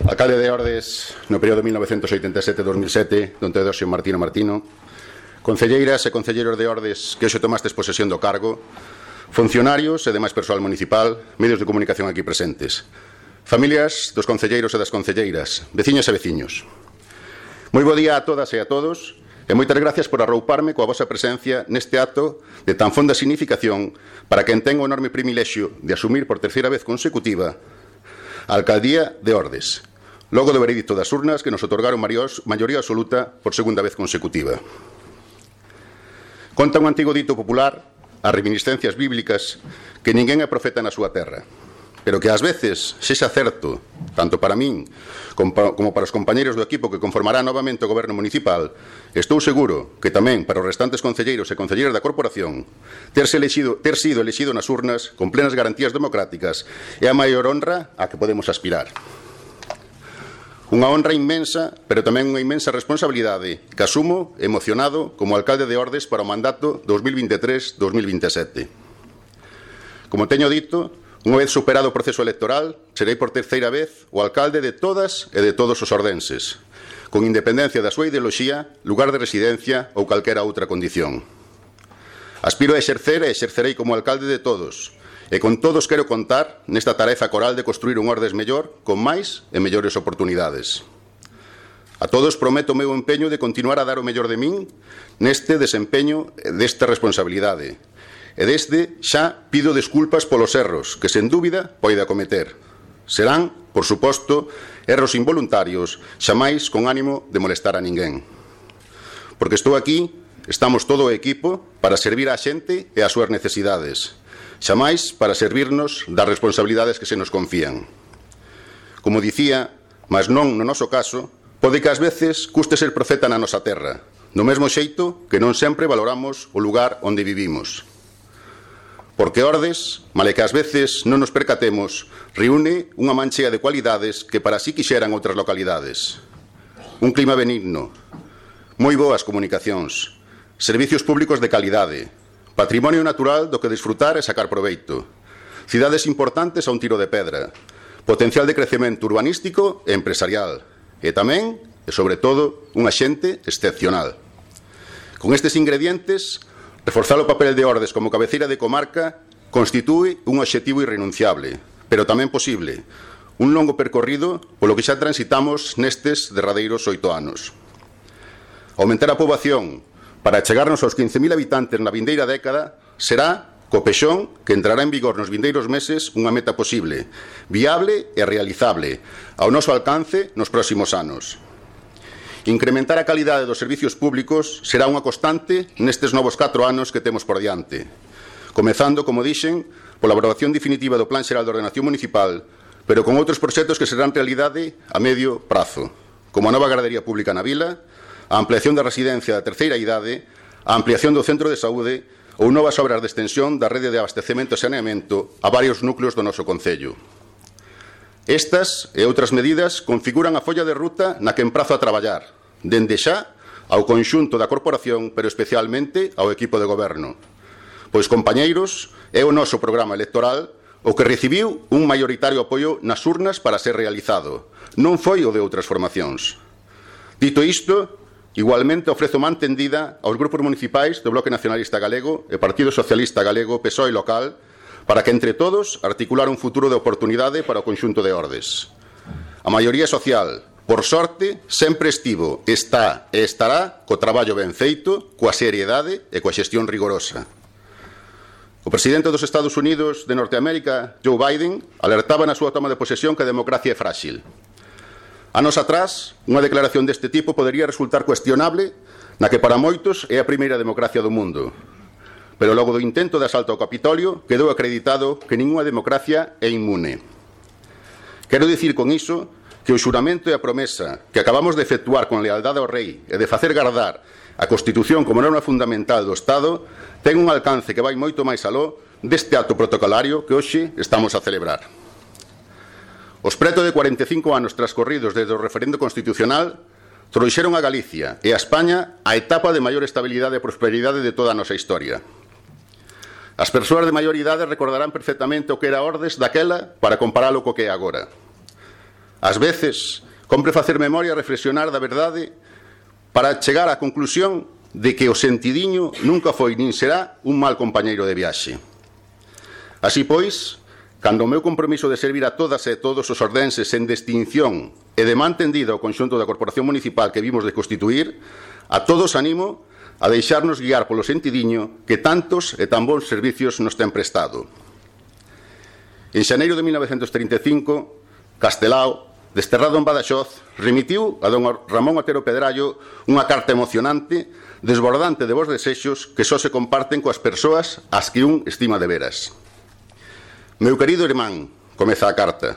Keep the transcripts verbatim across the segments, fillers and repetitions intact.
Alcalde de Ordes no período mil novecentos oitenta e sete a dos mil sete, don Teodosio Martino Martino, concelleiras e concelleiros de Ordes que hoxe tomastes posesión do cargo, funcionarios e demais persoal municipal, medios de comunicación aquí presentes, familias dos concelleiros e das concelleiras, veciños e veciños. Moi bo día a todas e a todos e moitas gracias por arrouparme coa vosa presencia neste acto de tan fonda significación para quen ten o enorme privilexio de asumir por terceira vez consecutiva a Alcaldía de Ordes, logo do veredicto das urnas que nos otorgaron maioría absoluta por segunda vez consecutiva. Conta un antigo dito popular, as reminiscencias bíblicas, que ninguén é profeta na súa terra, pero que ás veces sexa certo, tanto para min como para os compañeiros do equipo que conformará novamente o goberno municipal, estou seguro que tamén para os restantes concelleiros e concelleiras da corporación, terse elexido, ter sido elexido nas urnas con plenas garantías democráticas é a maior honra a que podemos aspirar. Unha honra inmensa, pero tamén unha inmensa responsabilidade que asumo emocionado como alcalde de Ordes para o mandato dos mil vinte e tres dos mil vinte e sete. Como teño dito, unha vez superado o proceso electoral, serei por terceira vez o alcalde de todas e de todos os ordenses, con independencia da súa ideoloxía, lugar de residencia ou calquera outra condición. Aspiro a exercer e exercerei como alcalde de todos, e con todos quero contar nesta tarefa coral de construir un Ordes mellor, con máis e mellores oportunidades. A todos prometo o meu empeño de continuar a dar o mellor de min neste desempeño desta responsabilidade. E desde xa pido desculpas polos erros que, sen dúbida, poida cometer. Serán, por suposto, erros involuntarios, xamais con ánimo de molestar a ninguén. Porque estou aquí, estamos todo o equipo, para servir á xente e ás súas necesidades, xamais para servirnos das responsabilidades que se nos confían. Como dicía, mas non no noso caso, pode que ás veces custe ser profeta na nosa terra, do mesmo xeito que non sempre valoramos o lugar onde vivimos. Porque Ordes, male que ás veces non nos percatemos, reúne unha manchea de cualidades que para si quixeran outras localidades. Un clima benigno, moi boas comunicacións, servicios públicos de calidade, patrimonio natural do que disfrutar e sacar proveito, cidades importantes a un tiro de pedra, potencial de crecemento urbanístico e empresarial, e tamén, e sobre todo, unha xente excepcional. Con estes ingredientes, reforzar o papel de Ordes como cabeceira de comarca constitúe un obxectivo irrenunciable, pero tamén posible, un longo percorrido polo que xa transitamos nestes derradeiros oito anos. Aumentar a poboación para chegarnos aos quince mil habitantes na vindeira década será, co pexón que entrará en vigor nos vindeiros meses, unha meta posible, viable e realizable, ao noso alcance nos próximos anos. Incrementar a calidade dos servicios públicos será unha constante nestes novos catro anos que temos por diante, comezando, como dixen, pola aprobación definitiva do Plan Xeral de Ordenación Municipal, pero con outros proxectos que serán realidade a medio prazo, como a nova gardería pública na vila, a ampliación da residencia da terceira idade, a ampliación do centro de saúde ou novas obras de extensión da rede de abastecemento e saneamento a varios núcleos do noso concello. Estas e outras medidas configuran a folla de ruta na que emprazo a traballar, dende xa ao conxunto da corporación, pero especialmente ao equipo de goberno. Pois, compañeiros, é o noso programa electoral o que recibiu un maioritario apoio nas urnas para ser realizado. Non foi o de outras formacións. Dito isto, igualmente ofrezo man tendida aos grupos municipais do Bloque Nacionalista Galego e Partido Socialista Galego, P S O E local, para que entre todos articular un futuro de oportunidade para o conxunto de Ordes. A maioría social, por sorte, sempre estivo, está e estará co traballo ben feito, coa seriedade e coa xestión rigorosa. O presidente dos Estados Unidos de Norteamérica, Joe Biden, alertaba na súa toma de posesión que a democracia é frágil. Anos atrás, unha declaración deste tipo podería resultar cuestionable na que para moitos é a primeira democracia do mundo. Pero logo do intento de asalto ao Capitolio quedou acreditado que ningunha democracia é inmune. Quero dicir con iso que o xuramento e a promesa que acabamos de efectuar con lealdade ao rei e de facer gardar a Constitución como norma fundamental do Estado ten un alcance que vai moito máis aló deste acto protocolario que hoxe estamos a celebrar. Os preto de cuarenta e cinco anos transcorridos desde o referendo constitucional trouxeron a Galicia e a España a etapa de maior estabilidade e prosperidade de toda a nosa historia. As persoas de maior idade recordarán perfectamente o que era Ordes daquela para comparalo co que é agora. ás veces, compre facer memoria e reflexionar da verdade para chegar á conclusión de que o sentidiño nunca foi nin será un mal compañeiro de viaxe. Así pois, cando o meu compromiso de servir a todas e todos os ordenses sen distinción e de man tendida ao conxunto da Corporación Municipal que vimos de constituir, a todos animo a deixarnos guiar polo sentidiño que tantos e tan bons servicios nos ten prestado. En xaneiro de mil novecentos trinta e cinco, Castelao, desterrado en Badaxoz, remitiu a don Ramón Otero Pedrallo unha carta emocionante, desbordante de vos desexos que só se comparten coas persoas ás que un estima de veras. Meu querido irmán, comeza a carta,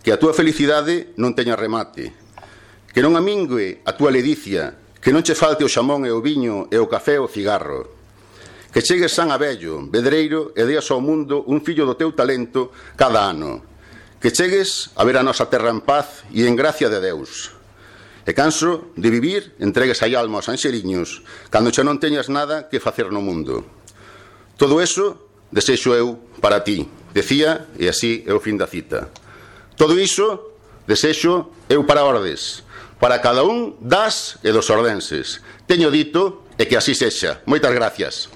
que a túa felicidade non teña remate, que non amingue a túa ledicia, que non che falte o xamón e o viño e o café e o cigarro, que chegues san a vello, vedreiro e deas ao mundo un fillo do teu talento cada ano, que chegues a ver a nosa terra en paz e en gracia de Deus, e canso de vivir entregues a alma aos anxeliños cando xa non teñas nada que facer no mundo. Todo eso desexo eu para ti, decía, e así é o fin da cita. Todo iso desexo eu para Ordes, para cada un das e dos ordenses. Teño dito e que así sexa. Moitas gracias.